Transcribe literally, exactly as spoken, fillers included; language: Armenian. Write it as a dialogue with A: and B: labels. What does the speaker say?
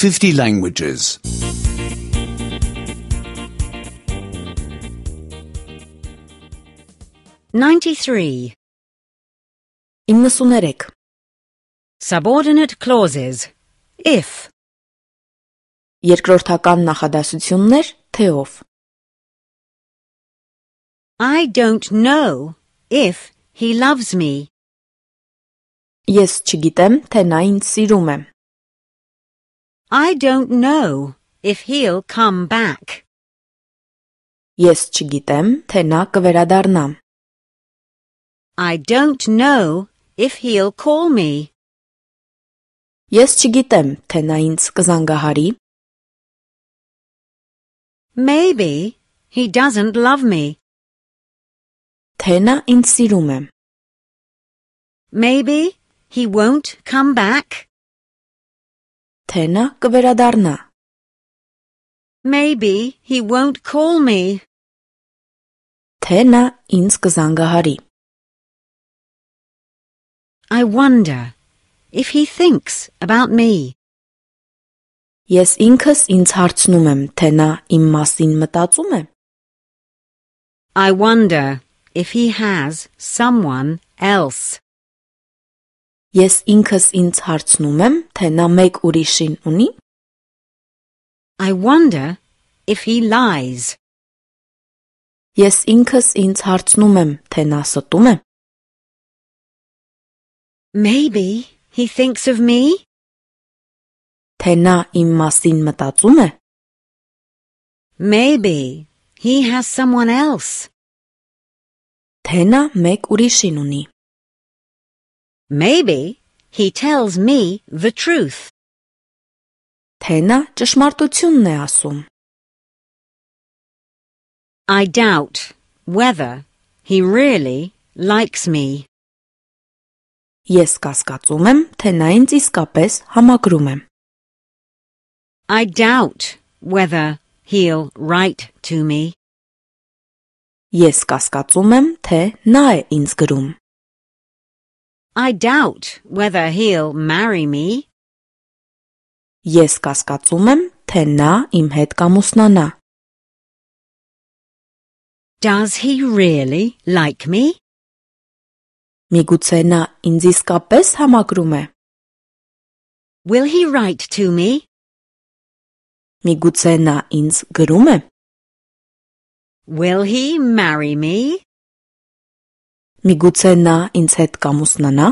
A: fifty languages.
B: ninety-three.
C: իննսուներեք.
B: Subordinate clauses. If.
C: Երկրորդական նախադասություններ թեով.
B: I don't know if he loves me.
C: Ես չգիտեմ, թե նա ինձ սիրում է.
B: I don't know if he'll come back.
C: Ես չգիտեմ, թե նա կվերադառնա.
B: I don't know if he'll call me.
C: Ես չգիտեմ, թե նա ինձ կզանգահարի.
B: Maybe he doesn't love me.
C: Թե նա ինձ սիրում է.
B: Maybe he won't come back.
C: Թե նա կվերադառնա.
B: Maybe he won't call me.
C: Թե նա ինձ կզանգահարի.
B: I wonder if he thinks about me.
C: Ես ինքս ինձ հարցնում եմ, թե նա իմ մասին մտածում է.
B: I wonder if he has someone else.
C: Ես ինքս ինձ հարցնում եմ, թե նա մեկ ուրիշին ունի.
B: I wonder if he lies.
C: Ես ինքս ինձ հարցնում եմ, թե նա ստում է.
B: Maybe he thinks of me.
C: Թե նա իմ մասին մտածում է.
B: Maybe he has someone else.
C: Թե նա մեկ ուրիշին ունի.
B: Maybe he tells me the truth.
C: Թե նա ճշմարտությունն է ասում.
B: I doubt whether he really likes me.
C: Ես կասկածում եմ, թե նա ինձ իսկապես համակրում է.
B: I doubt whether he'll write to me.
C: Ես կասկածում եմ, թե նա է ինձ գրում.
B: I doubt whether he'll marry me.
C: Ես կասկածում եմ, թե նա իմ հետ կամուսնանա.
B: Does he really like me?
C: Միգուցե նա ինձ իսկապես համակրում է.
B: Will he write to me?
C: Միգուցե նա ինձ գրում է.
B: Will he marry me?
C: Միգուցե նա ինձ հետ կամուսնանա.